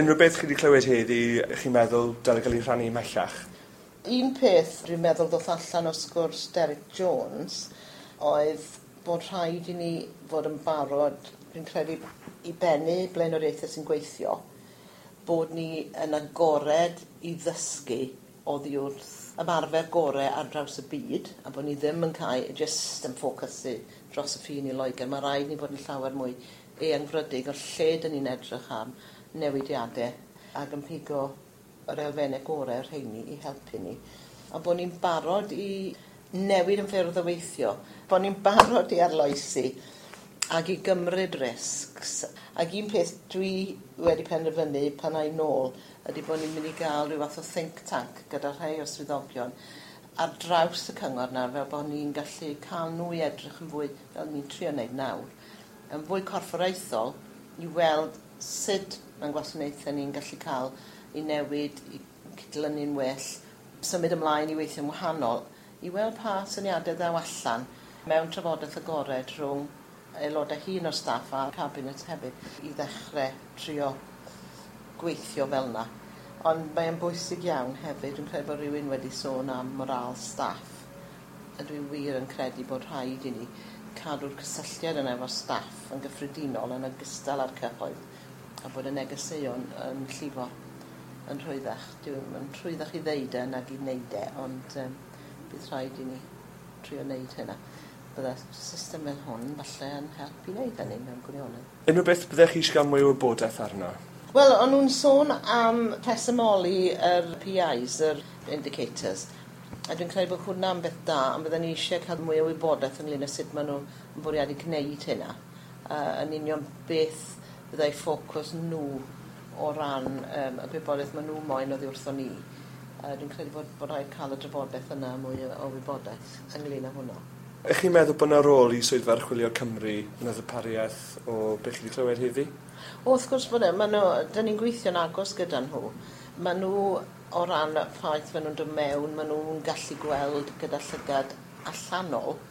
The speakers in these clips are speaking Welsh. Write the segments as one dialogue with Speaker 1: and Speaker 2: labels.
Speaker 1: Unrhyw beth chi wedi clywed heddi, chi'n meddwl dyle gael ei rhannu ymhellach?
Speaker 2: Un peth dwi'n meddwl ddoth allan o sgwrs Derek Jones oedd bod rhaid i ni fod yn barod, dwi'n credu, i bennu blaenoriaethau sy'n gweithio, bod ni yn agored i ddysgu oddi wrth ymarfer gorau ar draws y byd, a bod ni ddim yn cael jyst yn ffocysu dros y ffin i Loegr. Mae rhaid ni fod yn llawer mwy eangfrydig o lle dyn ni'n edrych am newidiadau ac yn pigo yr elfennau gorau rheini i helpu ni. A bod ni'n barod i newid yn ffyrdd o weithio, bod ni'n barod i arloesi ac i gymryd risks. Ac un peth dwi wedi penderfynu pan ai nôl ydy bod ni'n mynd i gael rhyw fath o think tank gyda rhai o swyddogion ar draws y cyngor nawr, fel bod ni'n gallu cael nhw i edrych yn fwy, fel ni'n trio wneud nawr, yn fwy corfforaethol i weld sut mae'n gwasanaethau ni'n gallu cael i newid, i cydlynu'n well, symud ymlaen i weithio'n wahanol, i weld pa syniadau ddaw allan mewn trafodaeth agored rhwng aelodau hŷn o'r staff a'r cabinet hefyd i ddechrau trio gweithio fel yna. Ond mae'n bwysig iawn hefyd, dwi'n credu bod rhywun wedi sôn am moral staff, a dwi wir yn credu bod rhaid i ni cadw'r cysylltiad yna efo staff yn gyffredinol yn ogystal â'r cyhoedd, a bod y negeseuon yn llifo yn rhwyddach. Dwi'n rhwyddach i ddeud e nag i wneud e, ond bydd rhaid i ni trio wneud hynna. Bydde system fel hwn falle yn helpu i wneud hynny mewn gwirionedd.
Speaker 1: Unrhyw beth byddech chi eisiau cael mwy o wybodaeth arno?
Speaker 2: Wel, o'n nhw'n sôn am rhesymoli yr PIs, yr indicators, a dwi'n credu bod hwnna'n beth da, ond bydden ni eisiau cael mwy o wybodaeth ynglyn â sut maen nhw yn bwriadu gwneud hynna. Yn union beth byddai ffocws nhw o ran y gwybodaeth maen nhw moyn oddi wrthon ni. Dwi'n credu bod rhaid cael y drafodaeth yna mwy o wybodaeth ynglyn â hwnna.
Speaker 1: Ych chi'n meddwl bod yna rôl i Swyddfa Archwilio Cymru yn y ddarpariaeth o beth chi wedi clywed heddi?
Speaker 2: O, wrth gwrs bod e. Dyn ni'n gweithio'n agos gyda nhw. Maen nhw, o ran y ffaith maen nhw'n dod mewn, maen nhw'n gallu gweld gyda llygad allanol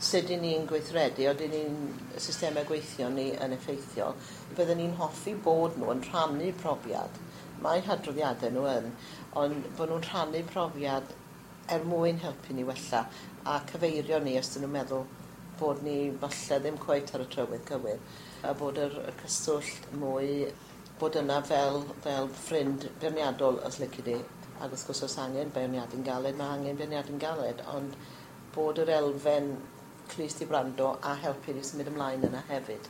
Speaker 2: sut 'y ni'n gweithredu, odyn ni'n systemau gweithio ni yn effeithiol. Bydden ni'n hoffi bod nhw yn rhannu profiad. Mae hadroddiadau nhw yn, ond bod nhw'n rhannu profiad er mwyn helpu ni wella a cyfeirio ni os dyn nhw'n meddwl bod ni falle ddim cweit ar y trywydd cywir, a bod yr cyswllt mwy bod yna fel ffrind beirniadol os lici di. Ac wrth gwrs os angen beirniadu'n galed, mae angen beirniadu'n galed, ond bod yr elfen clust i wrando a helpu ni symud ymlaen yna hefyd.